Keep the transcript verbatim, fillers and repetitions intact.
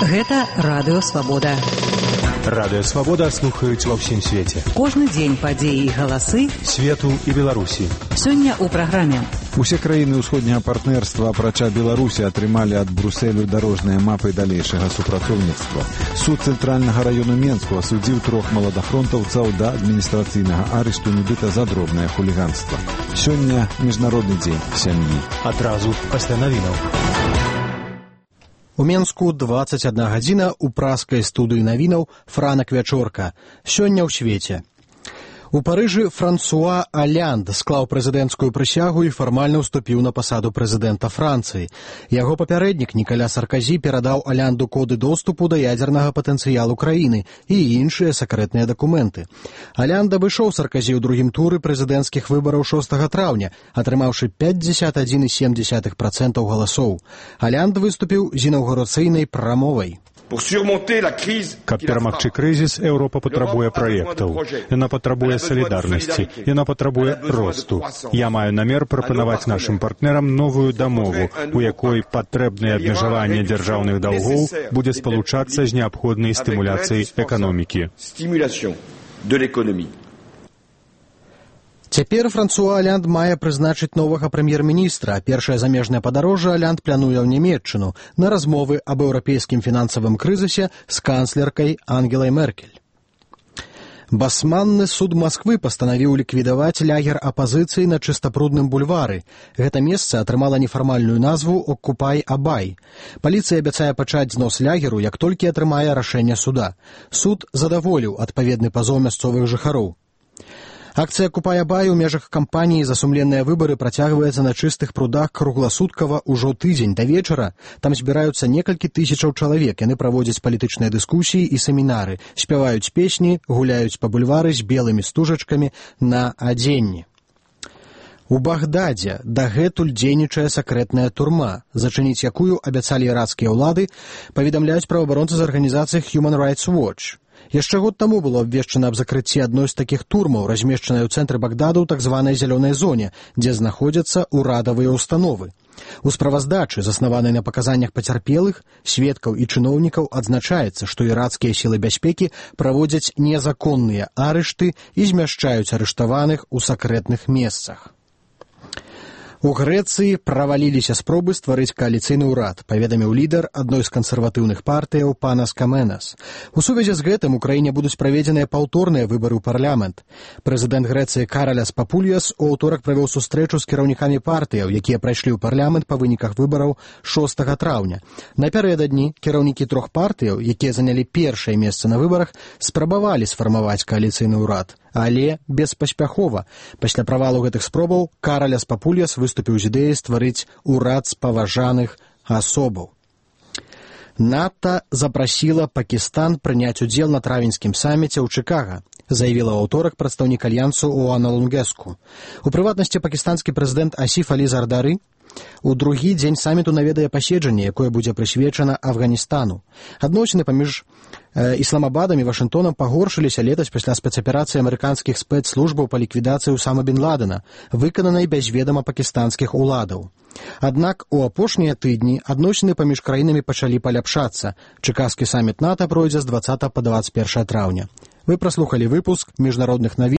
Гэта Радыё Свабода. Радыё Свабода слухаюць ва ўсім свеце. Кожны дзень падзеі і галасы свету і Беларусі. Сёння ў праграме. Усе краіны ўсходняга партнерства, апрача Беларусі, атрымалі ад Брусэлю дарожныя мапы далейшага супрацоўніцтва. Суд цэнтральнага раёну Менску асудзіў трох маладафронтаўцаў да адміністрацыйнага арышту нібыта за дробнае хуліганства. Сёння міжнародны дзень сям'і. Адразу пасля навінаў. У Менску дваццаць адна гадзіна ў праскай студыі навінаў Франак Вячорка. Сёння ў свеце. У Парыжы Франсуа Алянд склаў прэзідэнцкую прысягу і фармальна ўступіў на пасаду прэзідэнта Францыі. Яго папярэднік Нікаля Сарказі перадаў Алянду коды доступу да ядзернага патэнцыялу краіны і іншыя сакрэтныя дакументы. Алянд абышоў Сарказі ў другім туры прэзідэнцкіх выбараў шостага траўня, атрымаўшы пятьдесят один и семь десятых процента галасоў. Алянд выступіў з інаўгурацыйнай прамовай. Каб перамагчы крызіс, Еўропа патрабуе праектаў. Яна патрабуе салідарнасці. Яна патрабуе росту. Я маю намер прапанаваць нашым партнерам новую дамову, у якой патрэбнае абмежаванне дзяржаўных даўгоў будзе спалучацца з неабходнай стымуляцыяй эканомікі. Цяпер Франсуа Алянд мае прызначыць новага прэм'ер-міністра. Першае замежнае падарожжа Алянд плануе ў Нямецчыну на размовы аб еўрапейскім фінансавым крызісе з канцлеркай Ангелай Меркель. Басманны суд Масквы пастанавіў ліквідаваць лагер апазіцыі на Чыстапрудным бульвары. Гэта месца атрымала нефармальную назву «Оккупай-Абай». Паліцыя абяцае пачаць знос лагеру, як толькі атрымае рашэнне суда. Суд задаволіў адпаведны пазоў мясцовых жыхароў. Акцыя «Оккупай-Абай» у межах кампаніі за сумленныя выбары працягваецца на чыстых прудах кругласуткава ўжо тыдзень да вечара. Там збіраюцца некалькі тысячаў чалавек. Яны праводзяць палітычныя дыскусіі і семінары, спяваюць песні, гуляюць па бульвары з белымі стужачкамі на адзенні. У Багдадзе дагэтуль дзейнічае сакрэтная турма, зачыніць якую абяцалі іракскія ўлады, паведамляюць праваабаронцы з арганізацыі Human Rights Watch. Яшчэ год таму было абвешчана аб закрыцці адной з такіх турмаў, размешчанай у цэнтры Багдаду ў так званай зялёнай зоне, дзе знаходзяцца ўрадавыя ўстановы. У справаздачы, заснаванай на паказаннях пацярпелых, сведкаў і чыноўнікаў, адзначаецца, што іракскія сілы бяспекі праводзяць незаконныя арышты і змяшчаюць арыштаваных у сакрэтных месцах. У Грэцыі праваліліся спробы стварыць кааліцыйны ўрад, паведаміў лідар адной з кансерватыўных партыяў Панас Каменас. У сувязі з гэтым у краіне будуць праведзеныя паўторныя выбары ў парламент. Прэзідэнт Грэцыі Караляс Папульяс у аўторак правёў сустрэчу з кіраўнікамі партыяў, якія прайшлі ў парламент па выніках выбараў шостага траўня. Напярэдадні кіраўнікі трох партыяў, якія занялі першае месца на выбарах, спрабавалі сфармаваць кааліцыйны ўрад, але беспаспяхова. Пасля правалу гэтых спробаў Караляс Папульяс выступіў з ідэяй стварыць урад спаважаных асобаў. НАТО запрасіла Пакістан прыняць удзел на травеньскім саміце ў Чыкага, заявіла ў аўторак прадстаўнік альянсу Оана Лунгеску. У прыватнасці пакістанскі прэзідэнт Асіф Алі Зардары у другі дзень саміту наведае паседжанне, якое будзе прысвечана Афганістану. Адносіны паміж э, Ісламабадам і Вашынгтонам пагоршыліся летась пасля спецаперацыі амерыканскіх спецслужбаў па ліквідацыі Усама бен Ладена, выкананай без ведама пакістанскіх уладаў. Аднак у апошнія тыдні адносіны паміж краінамі пачалі паляпшацца. Чыкаскі саміт НАТО пройдзе з дваццатага па дваццаць першае траўня. Вы праслухалі выпуск міжнародных навін